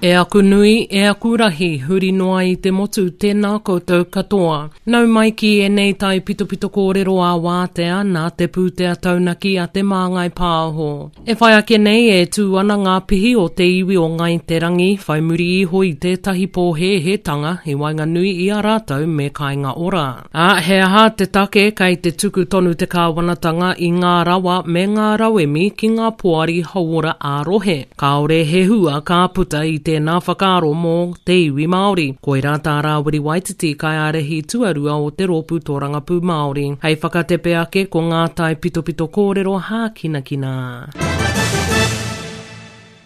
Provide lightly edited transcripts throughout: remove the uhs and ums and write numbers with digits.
E aku nui, e aku rahi, huri noa i te motu, tēnā koutou katoa. Nau mai ki ēnei taipitopito kōrero ā-wātea nā te pūtea taunaki a Te Māngai Pāho. E whai ake nei e tū ana ngā pihi o te iwi o Ngāi Te Rangi whai muri iho i tētahi pōhēhētanga i waenganui i a rātou me Kāinga Ora. Ā, he aha te take kei te tuku tonu te kāwanatanga i ngā rawa me ngā rauemi ki ngā poari hauora ā-rohe? Kāore he hua ka puta i tēnā whakaaro mō te iwi Māori. Koirā tā Rāwiri Waititi, kaiārahi tuarua o te Rōpū Tōrangapū Māori. Hei whakatepe ake ko ngā taipitopito kōrero hākinakina.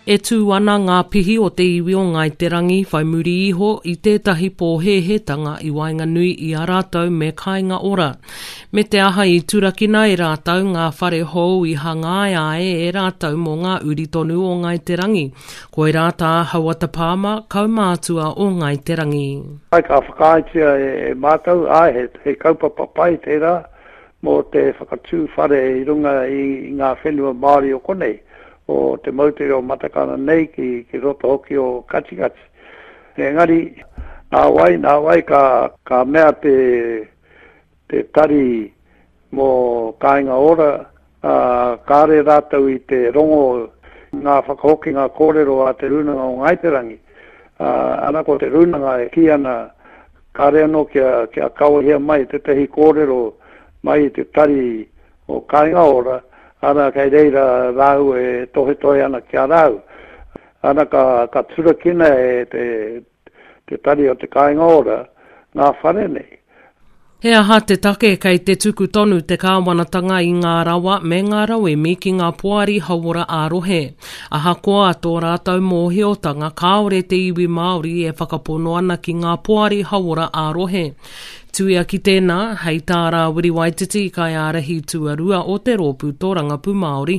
E tū ana ngā pihi o te iwi o Ngāi Te Rangi whai muri iho i tētahi pōhēhētanga i waenganui i a rātou me Kāinga Ora. Me te aha i turakina e rātou ngā whare hou i hangaia ai e rātou mō ngā uri tonu o Ngāi Te Rangi. Koirā tā Hauata Palmer, kaumātua o Ngāi Te Rangi. Āe, ka whakaaetia e mātou, āe, he kaupapa pai tērā mō te whakatū whare i runga i ngā whenua Māori o konei, o te moutere o Matakana nei ki roto hoki o Katikati. Engari, nāwai, nāwai ka mea te te tari mō Kāinga Ora, ā, kāre rātou i te rongo ngā whakahokinga kōrero a Te Rūnanga o Ngāi Te Rangi. Ā, ana ko Te Rūnanga e kī ana kāre anō kia, kia kawehia mai tētahi kōrero mai i te tari o Kāinga Ora, ana kei reira rāua e tohetohe ana ki a rāua. Ana ka, ka turakina e te, te Tari o te Kāinga Ora ngā whare nei. He aha te take kei te tuku tonu te kāwanatanga i ngā rawa me ngā rauemi ki ngā poari hauora ā-rohe? Ahakoa tō rātou mōhiotanga kāore te iwi Māori e whakapono ana ki ngā poari hauora ā-rohe. Tuia ki tēnā, hei tā Rāwiri Waititi, kaiārahi tuarua o te Rōpū Tōrangapū Māori,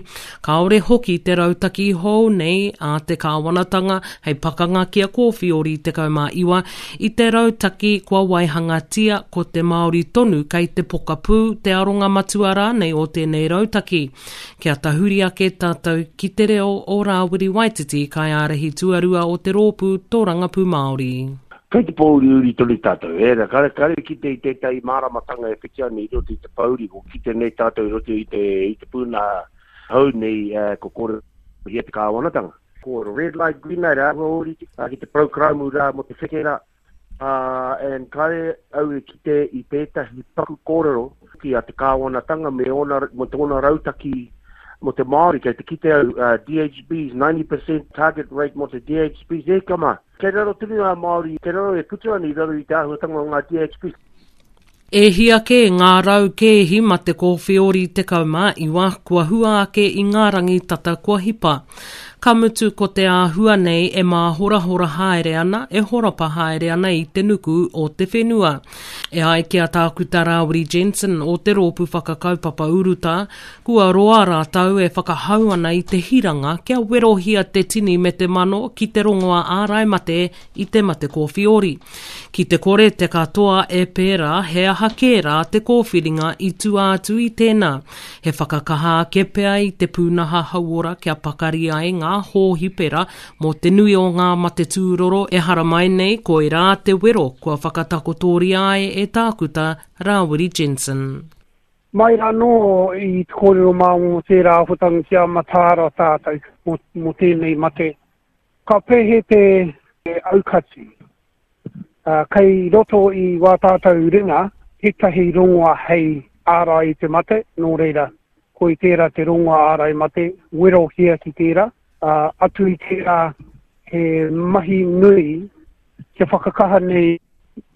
kāore hoki te rautaki hou nei a te kāwanatanga hei pakanga ki a Kōwhiori 19 i te rautaki kua waihangatia ko te Māori tonu kei te pokapū, te aronga matua rānei o tēnei rautaki. Kia tahuri ake tātou ki te reo o Rāwiri Waititi, kaiārahi tuarua o te Rōpū Tōrangapū Māori. Kei te pōuriuri tonu tātou, ērā, kare, kare kite i tētahi māramatanga e whiti ana i roto i te pōuri, ko kite nei tātou i roto i te, i te pūnaha hou nei, eh, ko kōrerohia te kāwanatanga. Ko red light, green light, āhua ōrite, ki te proukrāmu rā mō te wheke rā, ā, and kare au e kite i tētahi paku kōrero ki a te kāwanatanga me ōna, me tōna rautaki mō te Māori, kei te kite au, uh, DHBs, 90% target rate mō te DHBs, e kama! Kei raro tonu ngā Māori, kei raro e putu ana i raro i te āhuatanga o ngā DHB. E hia kē ngā kēhi mate kōwheori 19 kua hua ake i ngā rangi tata kua hipa. Ka mutu ko te āhua nei e māhorahora haere ana, e horapa haere ana i te nuku o te whenua. E ai ki a Tākuta Rāwiri Jensen o te Rōpū Whakakaupapa Urutā, Kua roa rātou e whakahau ana i te hiranga kia werohia te tini me te mano ki te rongoā ārai mate i te mate kōwhiori. Ki te kore te katoa e pērā, he aha kē rā te kōwhiringa i tua atu i tēnā? He whakakaha ake pea i te pūnaha hauora kia pakari ai ngā hōhipera mō te nui o ngā mate tūroro e haramai nei, koirā te wero kua whakatakotoria ai e Tākuta Rāwiri Jensen. Mai anō i te kōrero mā mō tērā āhuatanga kia mataara tātou mō, mō tēnei mate. Ka pēhea te aukati? Uh, kei roto i wā tātou ringa tētahi rongoa hei ārai i te mate, nō reira, koi tērā te rongoa ārai mate, werohia ki tērā. Uh, atu i tērā, he mahi nui kia whakakaha nei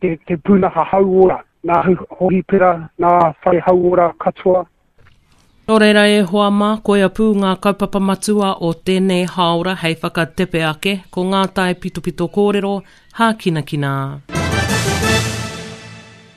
te, te pūnaha hauora, nā hohipera, nā whare hauora katoa. Nō reira e hoa mā, koia pū ngā kaupapa matua o tēnei hāora hei whakatepe ake, ko ngā taipitopito kōrero, hākinakina.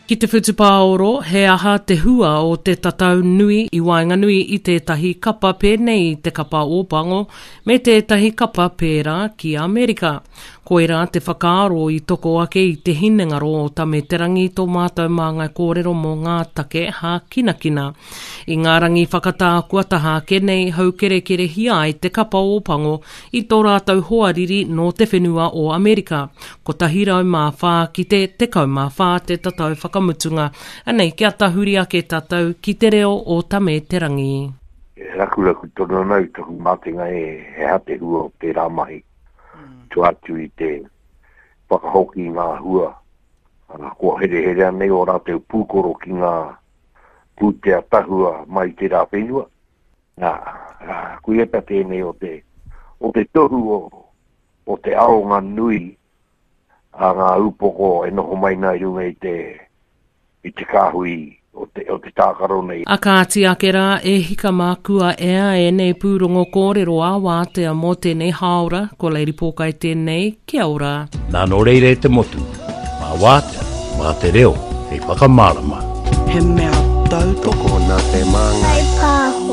Ki te whutupaoro, he aha te hua o te tatau nui i waenganui i tētahi kapa pēnei i te kapa Ōpango me tētahi kapa pērā ki Amerika? Koirā te whakaaro i toko ake i te hinengaro o Tame Te Rangi tō mātou māngai kōrero mō ngā take hākinakina. I ngā rangi whakatā kua taha ake nei, haukerekerehia ai te kapa Ōpango i tō rātou hoariri nō te whenua o Amerika, 104 ki te 14 te tatau whakamutunga. Anei, kia tahuri ake tātou ki te reo o Tame Te Rangi. E rakuraku tonu ana au taku matenga e he aha te hua o tērā mahi. Tua atu i te whakahoki i ngā hua, ana, kua hereherea nei ō rātou pūkoro ki ngā pūtea tahua mai i tērā whenua. Nā, koia pea tēnei o te, o te tohu o, o te aronga nui a ngā upoko e noho mai nā i runga i te, i te kāhui o te, o te tākaro nei. A kāti ake rā, e hika mā kua ea ēnei pūrongo kōrero ā wātea mō tēnei hāora, ko Lady Pōkai tēnei, kia ora. Nā nō reira e te motu, mā wātea, mā te reo hei whakamārama. He mea tautoko Tokona te māngai. Whai pāho.